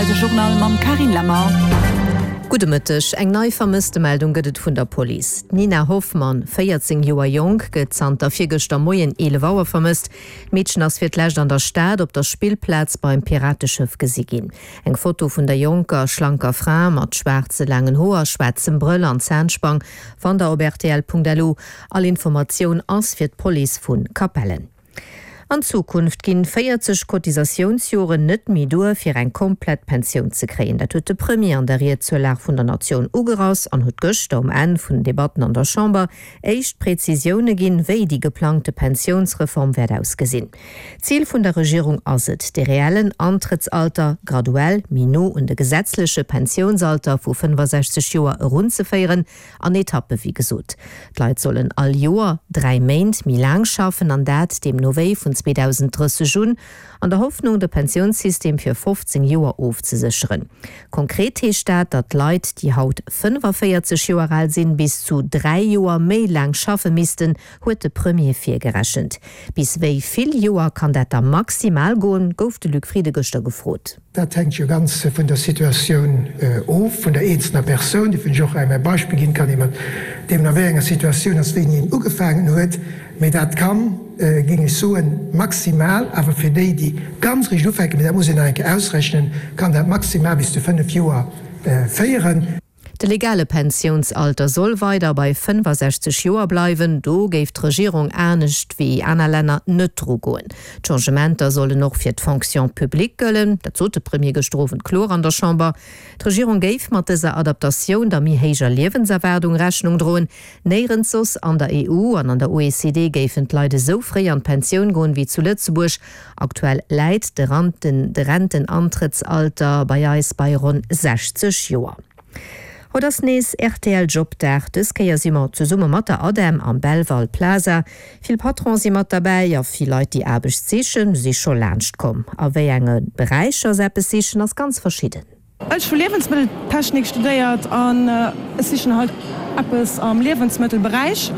rtl, de Journal mam Carine Lemmer. Gudde Mëtteg. Eng nei Vermësstemeldung gëtt et vun der Police. D'Nina Hoffmann, 14 Joer jonk, gëtt zanter virgëschter Moien 11 Auer vermësst. D'Meedchen ass fir d'lescht an der Stad op der Spillplaz beim Pirateschëff gesi ginn. Eng Foto vun der jonker, schlanker Fra mat schwaarze laangen Hoer, schwaarzem Brëll an Zahnspang fannt der op rtl.lu. All Informatioun ass fir d'Police vu Capellen. An Zukunft ginn 40 Cotisatiounsjoren net méi duer, fir eng komplett Pensioun ze kréien. Dat huet de Premier an der Ried zur Lag vun der Natioun ugerass an huet gëschter um Enn vun den Debatten an der Chamber éischt Prezisioune ginn, wéi déi geplangte Pensiounsreform wäert ausgesinn. Zil vun der Regierung ass et, de reellen Antrëttsalter graduell méi no un de gesetzleche Pensiounsalter vu 65 Joer erunzeféieren, an Etappe wéi gesot. D'Leit sollen all Joer 3 Méint méi laang schaffen, an dat deemno wéi vun 2030 un, an der Hoffnung de Pensiounssystem fir 15 Joer ofzesécheren. Konkret heescht dat, datt Leit, déi haut 45 Joer al sinn, bis zu 3 Joer méi laang schaffe missten, huet de Premier virgerechent. Bis wéi vill Joer kann dat da maximal goen, gouf de Luc Frieden gëschter gefrot. Dat hänkt jo ganz vun der Situatioun of, vun der eenzelner Persoun. Dofir hunn ech och einmal e Beispill ginn, kann ee mat deem a wéi enger Situatioun ass, wéini een ugefaangen huet. Mee dat kann, géing ech soen, maximal, awer fir déi, déi ganz eréischt ufänken, mee dat muss een nach eng Kéier ausrechnen, kann dat maximal bis zu 5 Joer féieren. De legale Pensiounsalter soll weider bei 65 Joer bleiwen. Do géif d'Regierung anescht wéi aner Länner net dru goen. D'Changementer sollen och fir d'Fonction publique gëllen. Dat sot de Premier gëschter Owend kloer an der Chamber. D'Regierung géif mat dëser Adaptatioun der méi héijer Liewenserwaardung Rechnung droen. Néierens soss an der EU an an der OECD géifen d'Leit esou fréi an d'Pensioun goen wéi zu Lëtzebuerg. Aktuell läit de Rentenantrëttsalter bei eis bei ronn 60 Joer. Haut ass nees rtl Jobdag. Dës Kéier si mer zesumme mat der ADEM am Belval Plaza. Vill Patrone si mat derbäi a vill Leit déi Aarbecht sichen, si scho laanscht komm. A wéi enge Beräicher se eppes sichen ass ganz verschidden. Ech hu Liewensmëtteltechnik studéiert an ech sichen halt eppes am Liewensmëttelberäich,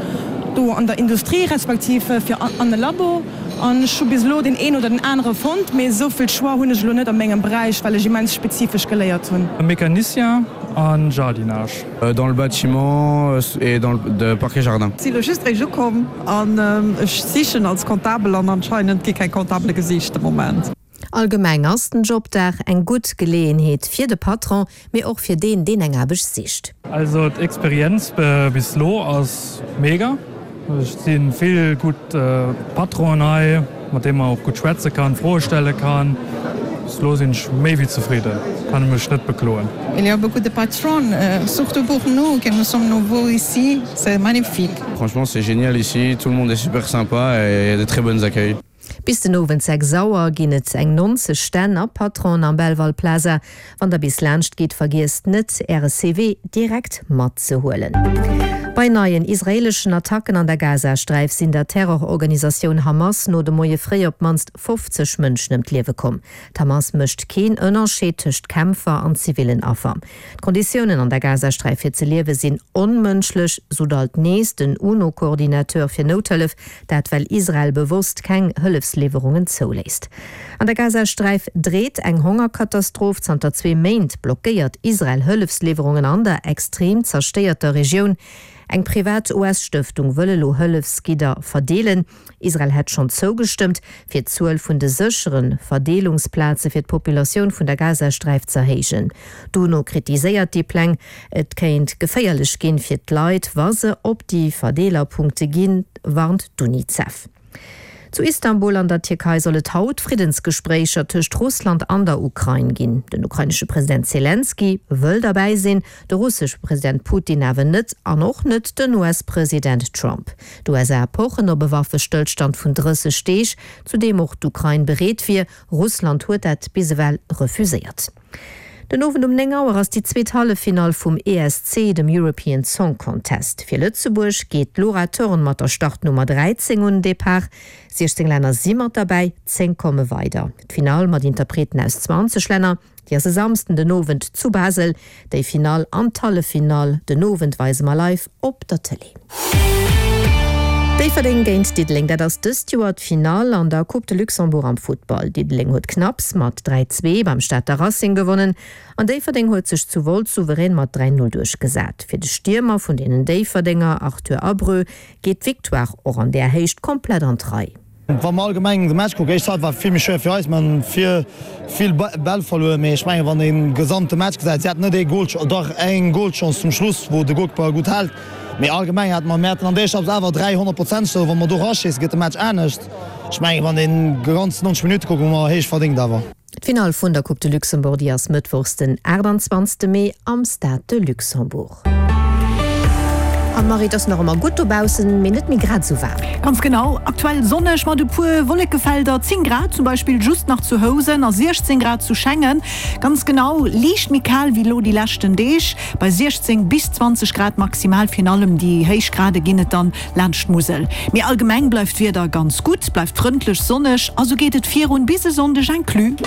do an der Industrie respektiv fir an e Labo. An ech hu bis elo deen een oder den anere fonnt, mee esou vill Choix hunn ech elo net a mengem Beräich, well ech immens spezifesch geléiert hunn. Mécanicien an Jardinage. Dans le bâtiment et dans le parc et jardin. Si lo just réischt ukomm an ech sichen als Comptabel an anscheinend gi keng Comptabele gesicht de Moment. Allgemeng ass den Jobdag eng gutt Geleeënheet fir de Patron, mee och fir deen, deen eng Aarbecht sicht. Also d'Experienz bis lo ass mega. Et si vill gutt Patronen hei, mat deenen man och gutt schwätze kann, Froe stelle kann. Bis lo sinn ech méi wéi zefridden, kann mech net bekloen. Il y a beaucoup de patrons, surtout pour nous que nous sommes nouveaux ici, c'est magnifique. Franchement c'est génial ici, tout le monde est super sympa et il y a de très bonnes accueils. Bis den Owend 6 Auer ginn et eng 90 Stänn a Patronen am Belval Plaza. Wann der bis laanscht gitt, vergiesst net äre CV direkt matzehuelen. Bei neien israeeleschen Attacken an der Gazasträif sinn der Terrororganisatioun Hamas no de Moie fréi op d'mannst 50 Mënschen ëm d'Liewe komm. D'Hamas mécht keen Ënnerscheed tëscht Kämpfer an zivillen Affer. D'Konditiounen an der Gazasträif fir ze liewe sinn onmënschlech, sot alt nees den UNO-Coordinateur fir Nouthëllef. Dat well Israel bewosst keng Hëllefsliwwerungen zouléisst. An der Gazasträif dreet eng Hongerkatastroph. Zanter zwee Méint blockéiert Israel Hëllefsliwwerungen an der extrem zerstéierter Regioun. Eng privat US-Stëftung wëll elo Hëllefsgidder verdeelen. Israel hätt schonn zougestëmmt, fir d'Zuel vun de séchere Verdeelungsplaze fir d'Populatioun vun der Gazasträif z'erhéijen. D'UNO kritiséiert déi Pläng. Et kéint geféierlech ginn fir d'Leit, wa se op déi Verdeelerpunkte ginn, warnt d'UNICEF. Zu Istanbul an der Tierkei soll et haut Friddensgespréicher tëscht Russland an der Ukrain ginn. Den ukrainesche President Selenskyj wëll derbäi sinn, de russesche President Putin awer net an och net den US-President Trump. D'USA pochen op e Waffestëllstand vun 30 Deeg, zu deem och d'Ukrain bereet wier. Russland huet dat bis ewell refuséiert. Den Owend um 9 Auer ass déi zweet Halleffinall vum ESC, dem European Song Contest. Fir Lëtzebuerg geet d'Laura Thorn mat der Startnummer 13 un den Depart. 16 Länner si mat derbäi, 10 komme weider. D'Finall mat Interpreten aus 20 Länner, déi ass e Samsden den Owend zu Basel. Déi Finall an d'Halleffinall den Owend weise mer live op der Tëlee. Déifferdeng géint Diddeleng, dat ass dëst Joer d'Finall an der Coupe de Luxembourg am Futtball. Diddeleng huet knapps mat 3, 2 beim Stater Racing gewonnen an Déifferdeng huet sech zu Wolz souverän mat 3, 0 duerchgesat. Fir de Stiermer vun deenen Déifferdenger, Arthur Abreu, geet d'Victoire och an där Héicht komplett an d'Rei. Wa mer allgemeng de Match kucken, éischt Halbzeit war vill méi schwéier fir eis, mer hunn vill vill Bäll verluer, mee ech mengen wann een gesamte Match gesäit, si haten net ee Goal, dach eng Goalchance zum Schluss wou de Goalkeeper gutt hält, mee allgemeng hate mer, mir haten an der éischter Halbzeit awer 3 honnertprozenteg, also wa mer do eraschéissen gëtt de Match anescht. Ech mengen wann een ganz 90 Minutte kuckt, hu mer héich verdéngt awer. D'Finall vun der Coupe de Luxembourg, déi ass mëttwochs den 28 Mee am Stade de Luxembourg. An Marie, et ass nach ëmmer gutt dobaussen, mee net méi grad esou waarm. Ganz genau, aktuell sonneg mat e puer Wollekefelder, 10 Grad zum Beispill just nach zu Housen a 16 Grad zu Schengen. Ganz genau, liicht méi kal wéi elo déi leschten Deeg, bei 16 bis 20 Grad maximal. Virun allem déi héich Grade ginn et dann laanscht d'Musel. Mee allgemeng bleift d'Wieder ganz gutt, bleift frëndlech sonneg a sou geet et virun bis e Sonndeg inclus.